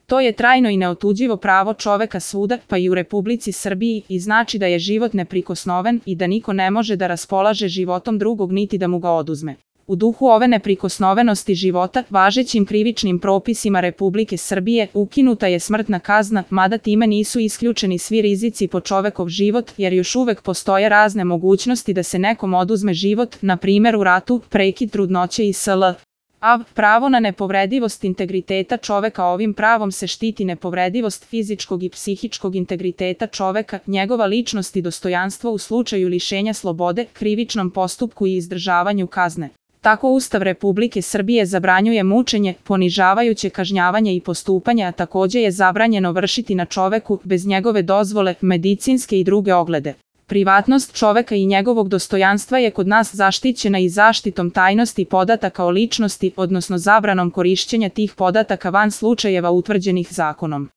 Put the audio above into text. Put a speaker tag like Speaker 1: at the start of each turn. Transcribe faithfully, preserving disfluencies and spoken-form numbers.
Speaker 1: To je trajno i neotuđivo pravo čoveka svuda, pa i u Republici Srbiji, i znači da je život neprikosnoven i da niko ne može da raspolaže životom drugog niti da mu ga oduzme. U duhu ove neprikosnovenosti života, važećim krivičnim propisima Republike Srbije, ukinuta je smrtna kazna, mada time nisu isključeni svi rizici po čovekov život, jer još uvek postoje razne mogućnosti da se nekom oduzme život, na primer u ratu, prekid trudnoće i sl. A. Pravo na nepovredivost integriteta čoveka. Ovim pravom se štiti nepovredivost fizičkog i psihičkog integriteta čoveka, njegova ličnost i dostojanstvo u slučaju lišenja slobode, krivičnom postupku i izdržavanju kazne. Tako Ustav Republike Srbije zabranjuje mučenje, ponižavajuće kažnjavanje i postupanje, a takođe je zabranjeno vršiti na čoveku, bez njegove dozvole, medicinske i druge oglede. Privatnost čoveka i njegovog dostojanstva je kod nas zaštićena i zaštitom tajnosti podataka o ličnosti, odnosno zabranom korišćenja tih podataka van slučajeva utvrđenih zakonom.